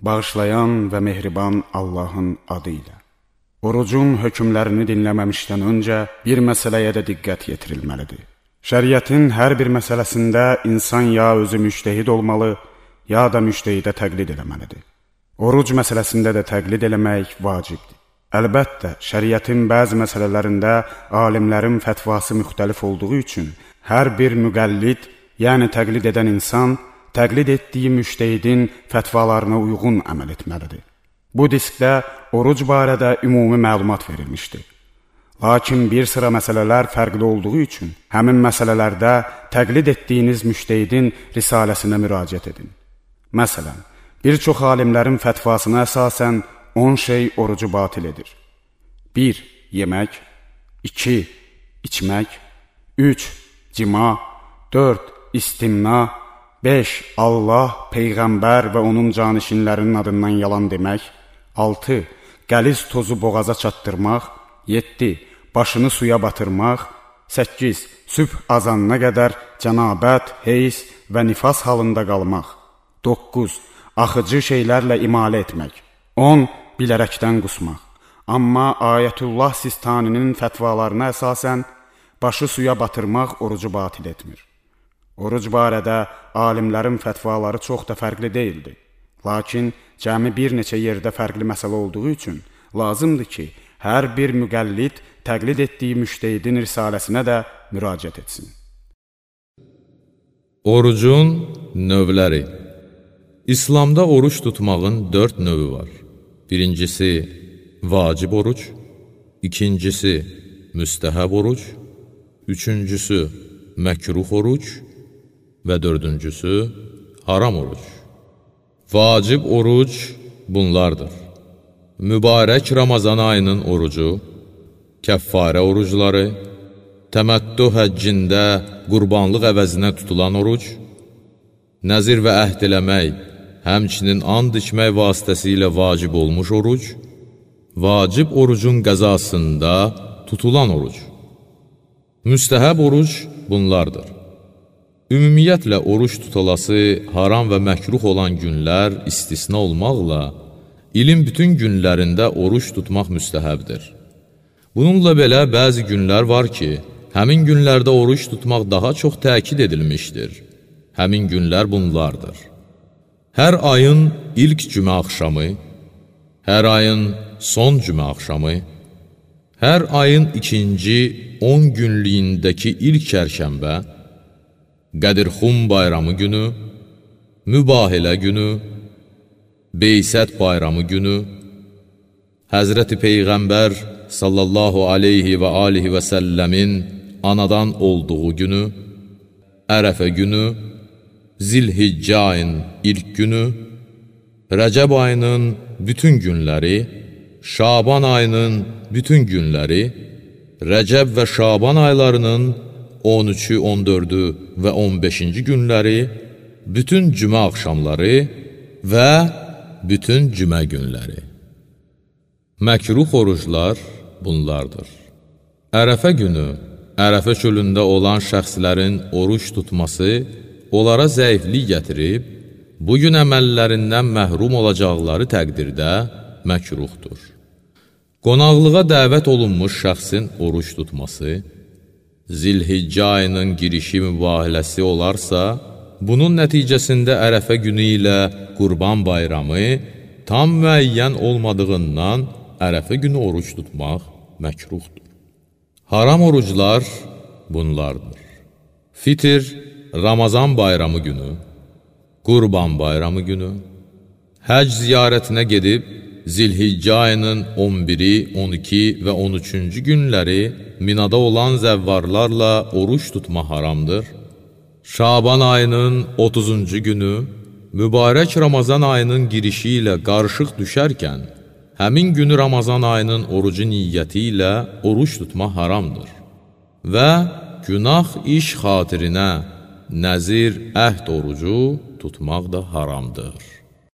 Bağışlayan və mehriban Allahın adı ilə. Orucun hökmlərini dinləməmişdən öncə bir məsələyə də diqqət yetirilməlidir. Şəriətin hər bir məsələsində insan ya özü müştəhid olmalı, ya da müştehidə təqlid eləməlidir. Oruc məsələsində də təqlid eləmək vacibdir. Əlbəttə, şəriətin bəzi məsələlərində alimlərin fətvası müxtəlif olduğu üçün hər bir müqəllid, yəni təqlid edən insan, təqlid etdiyi müştehidin fətvalarına uyğun əməl etməlidir. Bu diskdə oruc barədə ümumi məlumat verilmişdir. Lakin bir sıra məsələlər fərqli olduğu üçün həmin məsələlərdə təqlid etdiyiniz müştehidin risaləsinə müraciət edin. Məsələn, bir çox alimlərin fətvasına əsasən 10 şey orucu batil edir. 1. Yemək. 2. İçmək. 3. Cima. 4. İstimna. 5. Allah, Peyğəmbər və onun canişinlərinin adından yalan demək. 6. Qəliz tozu boğaza çatdırmaq. 7. Başını suya batırmaq. 8. Sübh azanına qədər cənabət, heyz və nifas halında qalmaq. 9. Axıcı şeylərlə imalə etmək. 10. Bilərəkdən qusmaq. Amma Ayətullah Sistaninin fətvalarına əsasən başı suya batırmaq orucu batil etmir. Oruc barədə alimlərin fətvaları çox da fərqli deyildi. Lakin cəmi bir neçə yerdə fərqli məsələ olduğu üçün lazımdır ki, hər bir müqəllid təqlid etdiyi müştehidin risaləsinə də müraciət etsin. Orucun növləri. İslamda oruç tutmağın 4 növü var. Birincisi vacib oruc, ikincisi müstəhəb oruc, üçüncüsü məkruh oruc və dördüncüsü haram oruc. Vacib oruc bunlardır. Mübarək Ramazan ayının orucu, kəffarə orucları, təməttü həccində qurbanlıq əvəzinə tutulan oruc, nəzir və əhd eləmək, həmçinin and içmək vasitəsilə vacib olmuş oruc, vacib orucun qəzasında tutulan oruc. Müstəhəb oruc bunlardır. Ümumiyyətlə, oruç tutulası haram və məkruh olan günlər istisna olmaqla, ilin bütün günlərində oruç tutmaq müstəhəbdir. Bununla belə, bəzi günlər var ki, həmin günlərdə oruç tutmaq daha çox təkid edilmişdir. Həmin günlər bunlardır. Hər ayın ilk cümə axşamı, hər ayın son cümə axşamı, hər ayın ikinci 10 günlüyündəki ilk çərşənbə, Qədirxum bayramı günü, Mübahilə günü, Beysət bayramı günü, Həzrəti Peyğəmbər sallallahu aleyhi və alihi və səlləmin anadan olduğu günü, Ərəfə günü, Zilhiccə ayın ilk günü, Rəcəb ayının bütün günləri, Şaban ayının bütün günləri, Rəcəb və Şaban aylarının 13-ü, 14-ü və 15-ci günləri, bütün cümə axşamları və bütün cümə günləri. Məkruh oruclar bunlardır. Ərəfə günü, Ərəfə çölündə olan şəxslərin oruç tutması onlara zəiflik gətirib, bugün əməllərindən məhrum olacaqları təqdirdə məkruhdur. Qonaqlığa dəvət olunmuş şəxsin oruç tutması, Zilhiccə ayının girişi mübahiləsi olarsa, bunun nəticəsində Ərəfə günü ilə Qurban bayramı tam müəyyən olmadığından Ərəfə günü oruç tutmaq məkruhdur. Haram oruclar bunlardır. Fitr, Ramazan bayramı günü, Qurban bayramı günü, həcc ziyarətinə gedib, Zilhiccə ayının 11-i, 12 və 13-cü günləri Minada olan zəvvarlarla oruç tutma haramdır. Şaban ayının 30-cu günü, mübarək Ramazan ayının girişi ilə qarışıq düşərkən, həmin günü Ramazan ayının orucu niyyəti ilə oruç tutma haramdır. Və günah iş xatirinə nəzir, əhd orucu tutmaq da haramdır.